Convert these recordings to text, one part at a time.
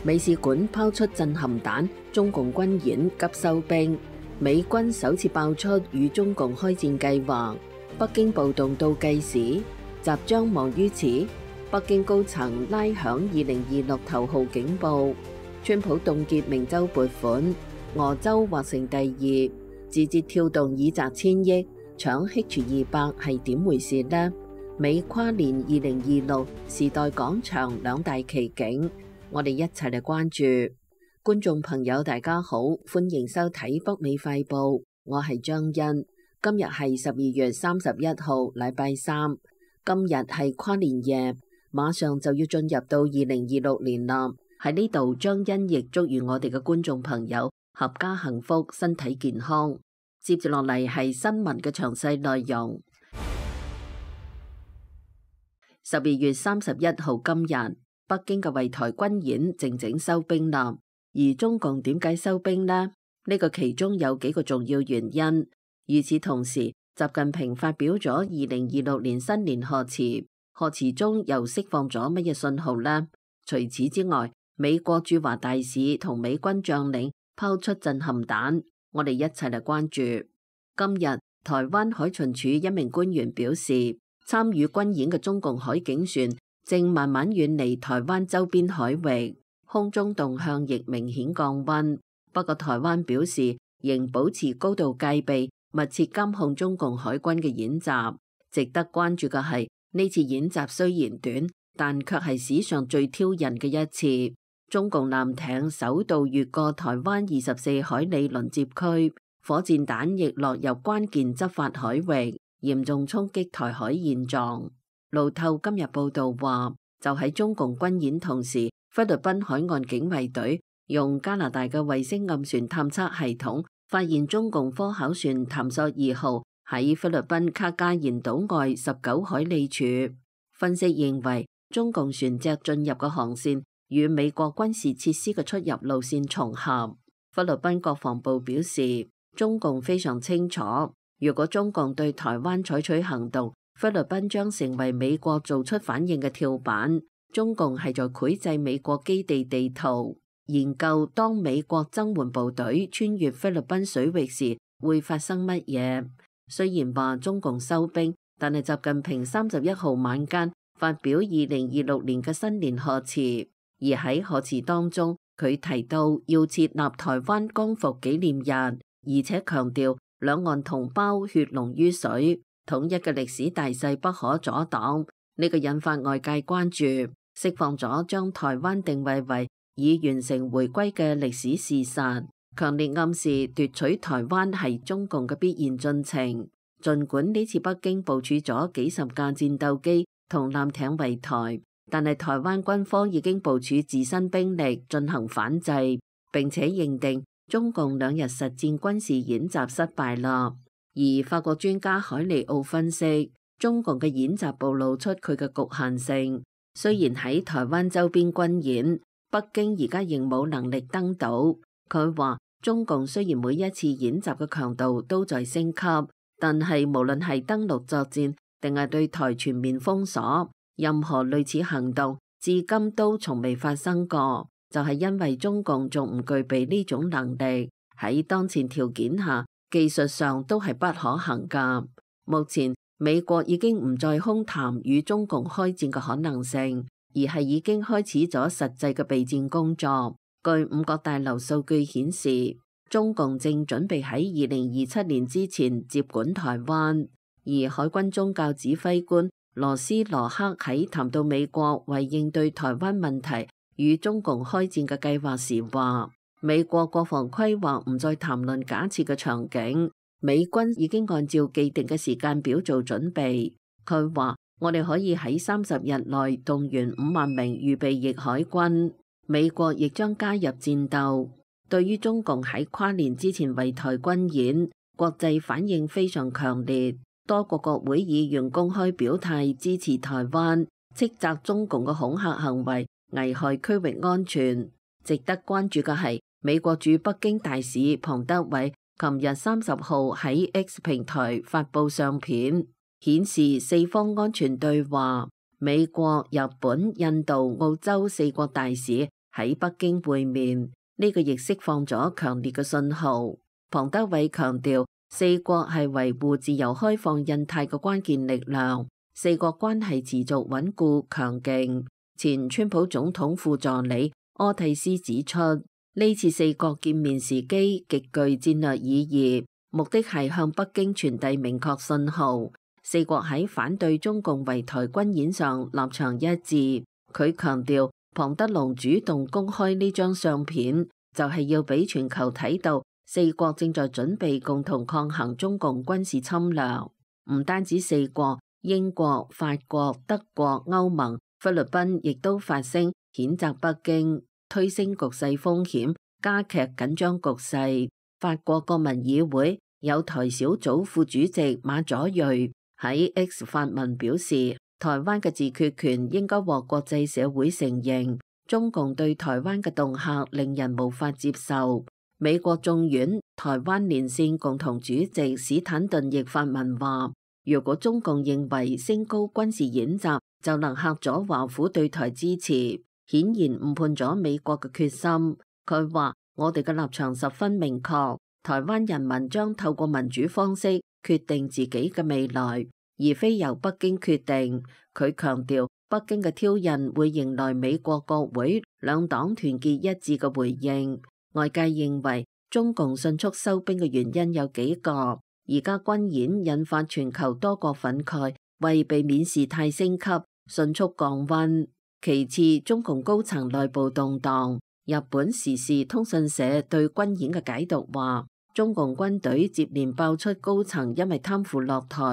美使館拋出震撼彈，中共軍演急收兵，美軍首次爆出與中共開戰計劃，北京暴動倒計時，習將忙於此，北京高層拉響2026頭號警報，川普凍結明州撥款，俄州劃成第二，字節跳動已砸千億，搶 H200係點回事呢？美跨年2026時代廣場兩大奇景。我哋一齊嚟關注。觀眾朋友大家好，歡迎收睇北美快報，我係張欣。今日係12月31號禮拜三，今日係跨年夜，馬上就要進入到2026年啦。喺呢度，張欣亦祝願我哋嘅觀眾朋友合家幸福，身體健康。接住落嚟係新聞嘅詳細內容。12月31號今日，北京嘅圍台軍演靜靜收兵啦，而中共點解收兵呢？呢個其中有幾個重要原因。與此同時，習近平發表咗2026年新年賀詞，賀詞中又釋放咗乜嘢信號呢？除此之外，美國駐華大使同美軍將領拋出震撼彈，我哋一齊嚟關注。今日台灣海巡署一名官員表示，參與軍演嘅中共海警船正慢慢遠離台灣周邊海域，空中動向亦明顯降溫。不過台灣表示仍保持高度戒備，密切監控中共海軍嘅演習。值得關注嘅係，呢次演習雖然短，但卻係史上最挑釁嘅一次。中共艦艇首度越過台灣24海里鄰接區，火箭彈亦落入關鍵執法海域，嚴重衝擊台海現狀。路透今日報道話，就喺中共軍演同時，菲律賓海岸警衛隊用加拿大嘅衛星暗船探測系統發現中共科考船探索2號喺菲律賓卡加延島外19海里處。分析認為，中共船隻進入嘅航線與美國軍事設施嘅出入路線重合。菲律賓國防部表示，中共非常清楚，如果中共對台灣採取行動，菲律賓將成為美國做出反應嘅跳板。中共係在繪製美國基地地圖，研究當美國增援部隊穿越菲律賓水域時會發生乜嘢。雖然話中共收兵，但係習近平31號晚間發表2026年嘅新年賀詞，而喺賀詞當中，佢提到要設立台灣光復紀念日，而且強調兩岸同胞血濃於水，統一嘅歷史大勢不可阻擋。呢個引發外界關注，釋放咗將台灣定位為已完成回歸嘅歷史事實，強烈暗示奪取台灣係中共嘅必然進程。儘管呢次北京部署咗幾十架戰鬥機同艦艇圍台，但係台灣軍方已經部署自身兵力進行反制，並且認定中共2日實戰軍事演習失敗啦。而法國專家海尼奧分析，中共嘅演習暴露出佢嘅局限性。雖然喺台灣周邊軍演，北京而家仍冇能力登島。佢話中共雖然每一次演習嘅強度都在升級，但係無論係登陸作戰定係對台全面封鎖，任何類似行動至今都從未發生過，就係因為中共仲唔具備呢種能力，喺當前條件下技術上都係不可行㗎。目前美國已經唔再空談與中共開戰嘅可能性，而係已經開始咗實際嘅備戰工作。據5角大樓數據顯示，中共正準備喺2027年之前接管台灣。而海軍宗教指揮官羅斯羅克喺談到美國為應對台灣問題與中共開戰嘅計劃時話，美國國防規劃唔再談論假設嘅場景，美軍已經按照既定嘅時間表做準備。佢話，我哋可以喺30日內動員5萬名預備役海軍，美國亦將加入戰鬥。對於中共喺跨年之前圍台軍演，國際反應非常強烈，多個國會議員公開表態支持台灣，斥責中共嘅恐嚇行為危害區域安全。值得關注嘅係，美國駐北京大使龐德偉琴日30號喺 X 平台發布相片，顯示四方安全對話，美國、日本、印度、澳洲4國大使喺北京會面，呢個亦釋放咗強烈嘅信號。龐德偉強調，四國係維護自由開放印太嘅關鍵力量，四國關係持續穩固強勁。前川普總統副助理柯蒂斯指出，呢次四國見面時機極具戰略意義，目的係向北京傳遞明確信號。四國喺反對中共圍台軍演上立場一致。佢強調，龐德龍主動公開呢張相片，就係要俾全球睇到四國正在準備共同抗衡中共軍事侵略。唔單止四國，英國、法國、德國、歐盟、菲律賓亦都發聲譴責北京，推升局勢風險，加劇緊張局勢。法國國民議會有台小組副主席馬佐瑞喺 X 發文表示，台灣嘅自決權應該獲國際社會承認，中共對台灣嘅恫嚇令人無法接受。美國眾院台灣連線共同主席史坦頓亦發文話，如果中共認為升高軍事演習就能嚇阻華府對台支持，顯然誤判咗美國嘅決心。佢話，我哋嘅立場十分明確，台灣人民將透過民主方式決定自己嘅未來，而非由北京決定。佢強調，北京嘅挑釁會迎來美國國會兩黨團結一致嘅回應。外界認為中共迅速收兵嘅原因有幾個，而家軍演引發全球多國憤慨，為避免事態升級，迅速降溫。其次，中共高層內部動盪。日本時事通訊社對軍演嘅解讀話，中共軍隊接連爆出高層因為貪腐落台，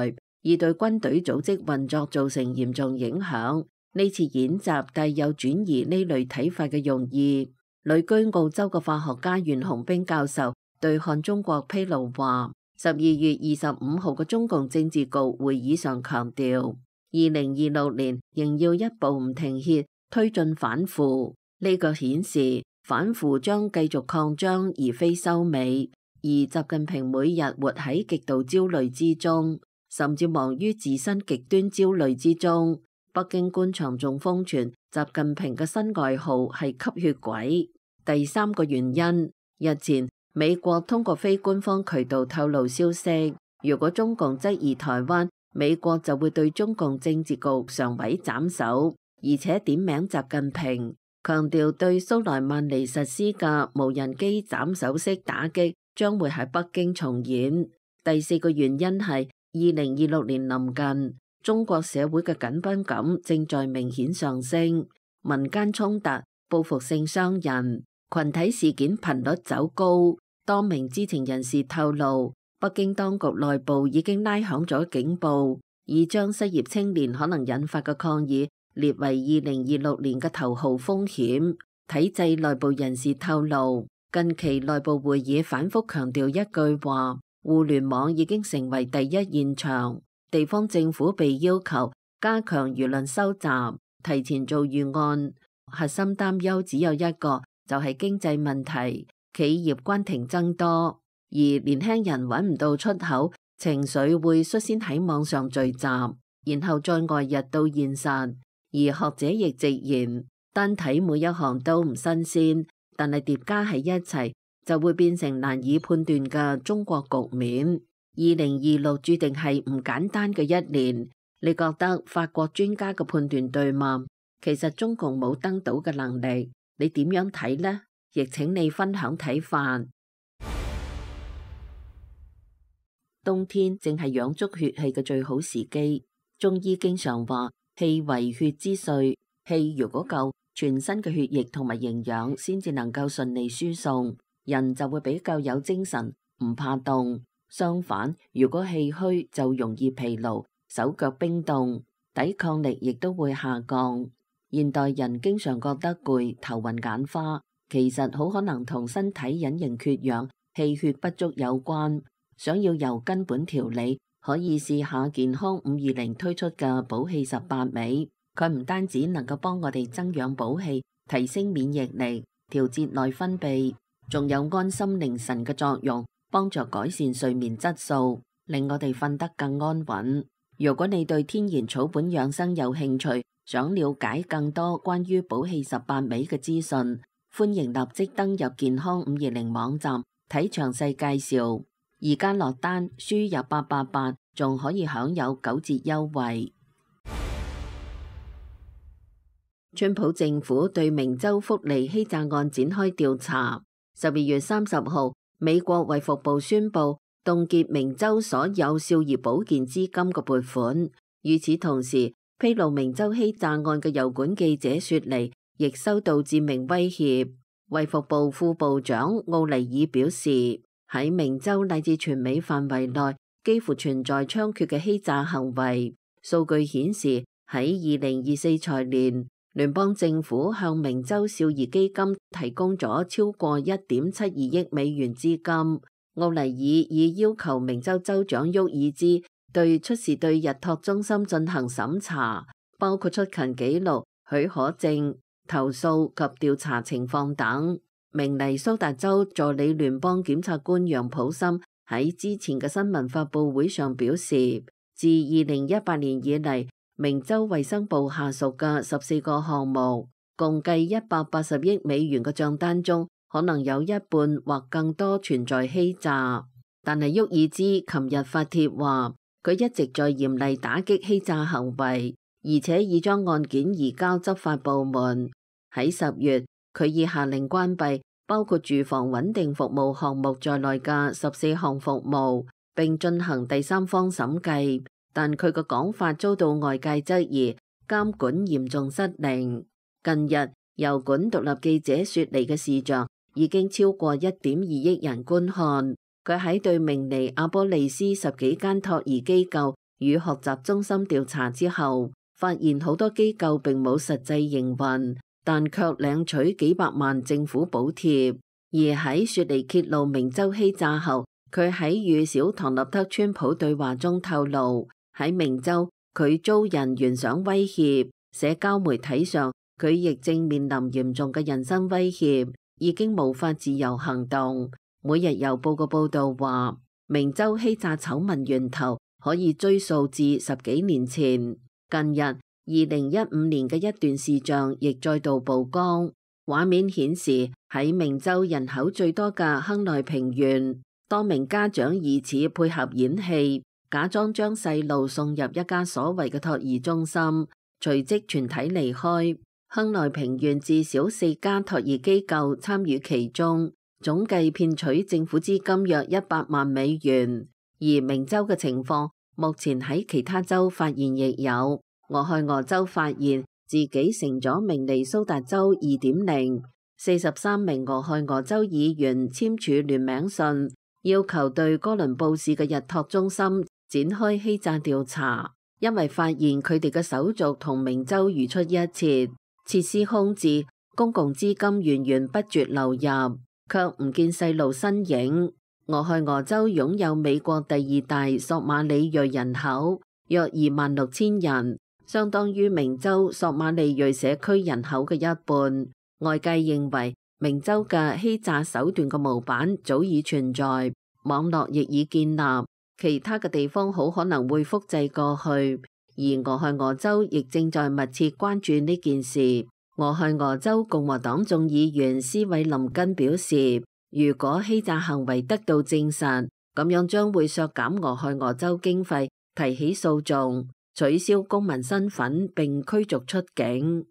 而對軍隊組織運作造成嚴重影響。呢次演習帶有轉移呢類睇法嘅用意。旅居澳洲嘅化學家袁洪兵教授對漢中國披露話，12月25號嘅中共政治局會議上強調，2026年仍要一步唔停歇推進反腐。呢個顯示反腐將繼續擴張而非收尾，而習近平每日活喺極度焦慮之中，甚至忙於自身極端焦慮之中。北京官場仲瘋傳習近平嘅新外號係吸血鬼。第三個原因，日前美國通過非官方渠道透露消息，如果中共質疑台灣，美國就會對中共政治局常委斬首，而且點名習近平，強調對蘇萊曼尼實施嘅無人機斬首式打擊將會喺北京重演。第四個原因係2026年臨近，中國社會嘅緊繃感正在明顯上升，民間衝突、報復性傷人、群體事件頻率走高。多名知情人士透露，北京當局內部已經拉響咗警報，已將失業青年可能引發嘅抗議列為2026年嘅頭號風險。體制內部人士透露，近期內部會議反覆強調一句話：互聯網已經成為第一現場。地方政府被要求加強輿論收集，提前做預案。核心擔憂只有一個，就係經濟問題，企業關停增多，而年輕人揾唔到出口，情緒會率先喺網上聚集，然後再外溢到現實。而學者亦直言，單睇每一行都唔新鮮，但係疊加喺一齊就會變成難以判斷嘅中國局面。2026注定係唔簡單嘅一年。你覺得法國專家嘅判斷對嗎？其實中共冇登島嘅能力，你點樣睇呢？亦請你分享睇法。冬天正係養足血氣嘅最好時機。中醫經常話，氣為血之髓，氣如果夠，全身嘅血液同埋營養先至能夠順利輸送，人就會比較有精神，唔怕凍。相反，如果氣虛就容易疲勞，手腳冰凍，抵抗力亦都會下降。現代人經常覺得攰、頭暈眼花，其實好可能同身體隱形缺氧、氣血不足有關。想要由根本調理，可以試下健康520推出嘅補氣18味。佢唔單止能夠幫我哋增氧補氣、提升免疫力、調節內分泌，仲有安心寧神嘅作用，幫助改善睡眠質素，令我哋瞓得更安穩。如果你對天然草本養生有興趣，想了解更多關於補氣18味嘅資訊，歡迎立即登入健康520網站睇詳細介紹。而家落單輸入888，仲可以享有9折優惠。川普政府對明州福利欺詐案展開調查。12月30號，美國衛福部宣布凍結明州所有少兒保健資金嘅撥款。與此同時，披露明州欺詐案嘅油管記者雪梨亦收到致命威脅。衛福部副部長奧尼爾表示，喺明州乃至全美範圍內幾乎存在猖獗嘅欺詐行為。數據顯示，喺2024財年，聯邦政府向明州少兒基金提供咗超過1.72億美元資金。奧尼爾已要求明州州長沃爾茲對出事對日托中心進行審查，包括出勤記錄、許可證、投訴及調查情況等。明尼蘇達州助理聯邦檢察官楊普森喺之前嘅新聞發佈會上表示，自2018年以嚟，明州衛生部下屬嘅14個項目，共計180億美元嘅賬單中，可能有一半或更多存在欺詐。但係沃爾茲琴日發帖話，佢一直在嚴厲打擊欺詐行為，而且已將案件移交執法部門。喺10月，佢已下令關閉包括住房穩定服務項目在內嘅14項服務，並進行第三方審計。但佢嘅講法遭到外界質疑，監管嚴重失靈。近日，油管獨立記者雪梨嘅視像已經超過1.2億人觀看。佢喺對明尼阿波利斯10幾間托兒機構與學習中心調查之後，發現好多機構並冇實際營運，但卻領取幾百萬政府補貼。而喺雪梨揭露明州欺詐後，佢喺與小唐納德川普對話中透露，喺明州佢遭人懸賞威脅，社交媒體上佢亦正面臨嚴重嘅人身威脅，已經無法自由行動。每日郵報嘅報導話，明州欺詐醜聞源頭可以追溯至10幾年前。近日2015年嘅一段視像亦再度曝光，畫面顯示喺明州人口最多嘅亨內平縣，多名家長疑似配合演戲，假裝將細路送入一家所謂嘅托兒中心，隨即全體離開。亨內平縣至少4家托兒機構參與其中，總計騙取政府資金約100萬美元。而明州嘅情況，目前喺其他州發現亦有。俄亥俄州發現自己成咗明尼蘇達州 2.0，43名俄亥俄州議員簽署聯名信，要求對哥倫布市嘅日托中心展開欺詐調查，因為發現佢哋嘅手續同明州如出一轍，設施空置，公共資金源源不絕流入，卻唔見細路身影。俄亥俄州擁有美國第2大索馬里裔人口，約26,000人，相當於明州索馬里裔社區人口嘅一半。外界認為明州嘅欺詐手段嘅模板早已存在，網絡亦已建立，其他嘅地方好可能會複製過去。而俄亥俄州亦正在密切關注呢件事。俄亥俄州共和黨眾議員斯韋林根表示，如果欺詐行為得到證實，咁樣將會削減俄亥俄州經費，提起訴訟，取消公民身份並驅逐出境。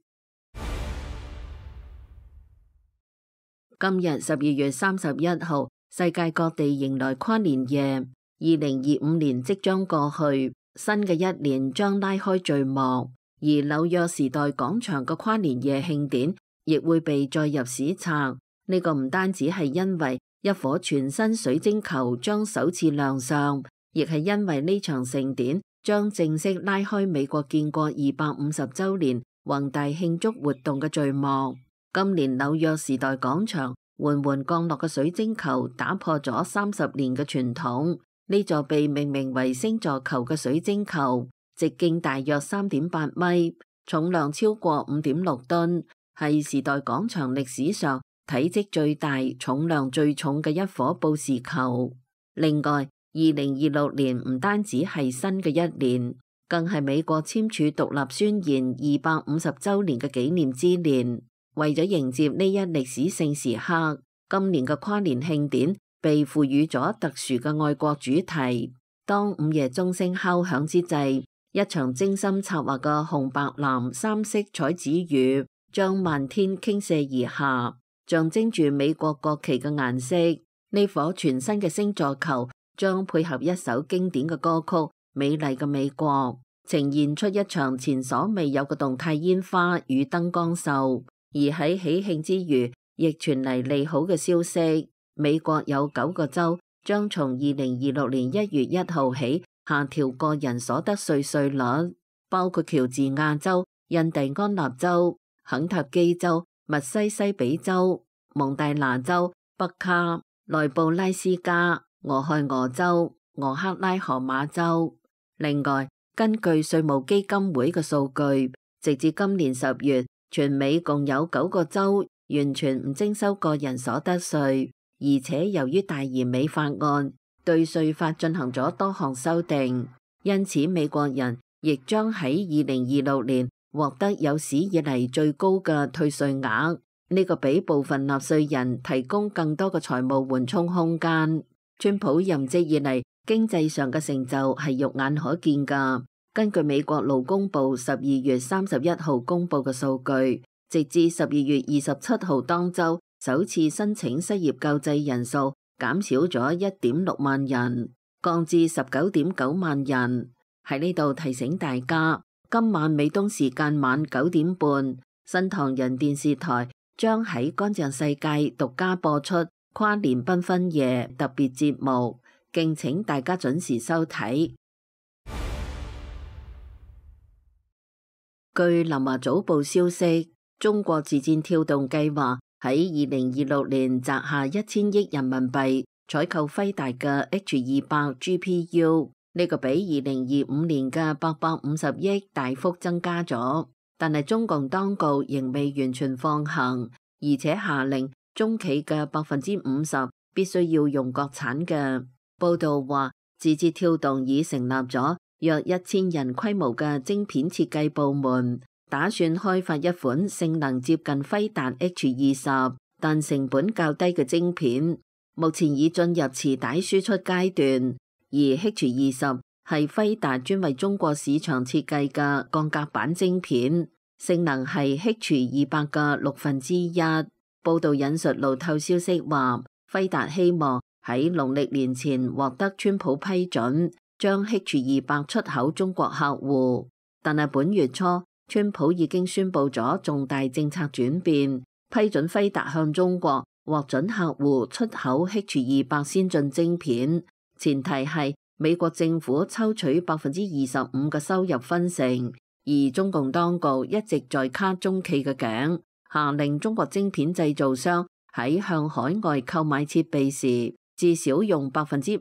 今日12月31號，世界各地迎來跨年夜。2025年即將過去，新嘅一年將拉開序幕。而紐約時代廣場嘅跨年夜慶典亦會被載入史冊。呢個唔單止係因為一顆全新水晶球將首次亮相，亦係因為呢場盛典將正式拉開美國建國250週年宏大慶祝活動嘅序幕。今年紐約時代廣場緩緩降落嘅水晶球打破咗30年嘅傳統。呢座被命名為星座球嘅水晶球，直徑大約3.8米，重量超過5.6噸，係時代廣場歷史上體積最大、重量最重嘅一顆報時球。另外，2026年唔單止係新嘅一年，更係美國簽署獨立宣言250週年嘅紀念之年。為咗迎接呢一歷史性時刻，今年嘅跨年慶典被賦予咗特殊嘅愛國主題。當午夜鐘聲敲響之際，一場精心策劃嘅紅白藍三色彩紙雨將漫天傾瀉而下，象徵住美國國旗嘅顏色。呢顆全新嘅星座球將配合一首經典嘅歌曲《美麗嘅美國》，呈現出一場前所未有嘅動態煙花與燈光秀。而喺喜慶之餘，亦傳嚟利好嘅消息，美國有9個州將從2026年1月1號起下調個人所得稅稅率，包括喬治亞州、印第安納州、肯塔基州、密西西比州、蒙大拿州、北卡、內布拉斯加、俄亥俄州、俄克拉荷馬州。另外，根據稅務基金會嘅數據，直至今年10月，全美共有9個州完全唔徵收個人所得稅，而且由於大而美法案對稅法進行咗多項修訂，因此美國人亦將喺2026年獲得有史以嚟最高嘅退稅額。呢個俾部分納稅人提供更多嘅財務緩衝空間。川普任職以嚟，經濟上嘅成就係肉眼可見㗎。根據美國勞工部12月31號公佈嘅數據，直至12月27號當週，首次申請失業救濟人數減少咗 1.6 萬人，降至 19.9 萬人。喺呢度提醒大家，今晚美東時間晚9點半，新唐人電視台將喺乾淨世界獨家播出跨年繽紛夜特別節目，敬請大家準時收睇。據南華早報消息，中國字節跳動計劃喺2026年擲下1000億人民幣採購輝達嘅 H200 GPU， 呢個比2025年嘅850億大幅增加咗。但係中共當局仍未完全放行，而且下令中企嘅50%必須要用國產嘅。報道話，字節跳動已成立咗約1000人規模嘅晶片設計部門，打算開發一款性能接近輝達 H20，但成本較低嘅晶片。目前已進入臍帶輸出階段，而 H20係輝達專為中國市場設計嘅鋼格板晶片，性能係 H200嘅1/6。報道引述路透消息話，輝達希望喺農曆年前獲得川普批准，將 H200出口中國客戶。但係本月初，川普已經宣布咗重大政策轉變，批准輝達向中國獲准客戶出口 H200先進晶片，前提係美國政府抽取25%嘅收入分成，而中共當局一直在卡中企嘅頸，下令中國晶片製造商喺向海外購買設備時，至少用50%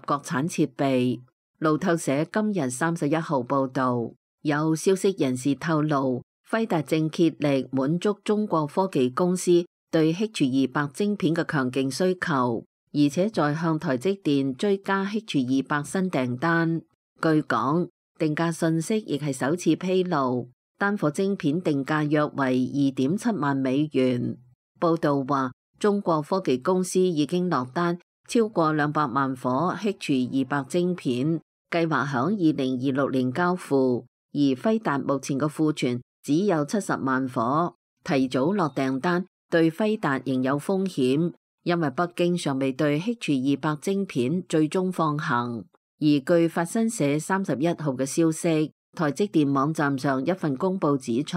國產設備。路透社今日31號報道，有消息人士透露，輝達正竭力滿足中國科技公司對 H200晶片嘅強勁需求，而且在向台積電追加 H200新訂單。據講，定價信息亦係首次披露，單顆晶片定價約為2.7萬美元。報道話，中國科技公司已經落單超過200萬顆 H200晶片，計劃響2026年交付，而輝達目前嘅庫存只有70萬顆，提早落訂單對輝達仍有風險，因為北京尚未對 H200晶片最終放行。而據法新社31號嘅消息，台積電網站上一份公報指出，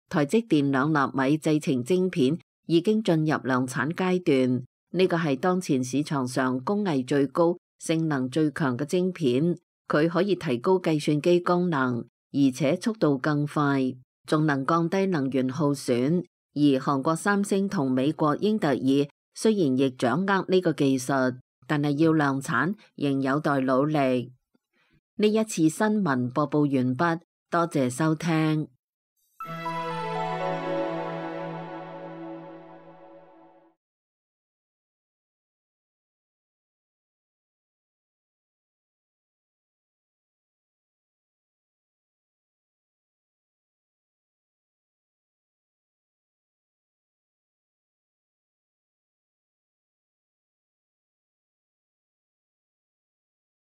台積電2納米製程晶片已經進入量產階段，呢個係當前市場上工藝最高、性能最強嘅晶片，佢可以提高計算機功能，而且速度更快，仲能降低能源耗損。而韓國三星同美國英特爾雖然亦掌握呢個技術，但係要量產仍有待努力。呢一次新聞播報完畢，多謝收聽。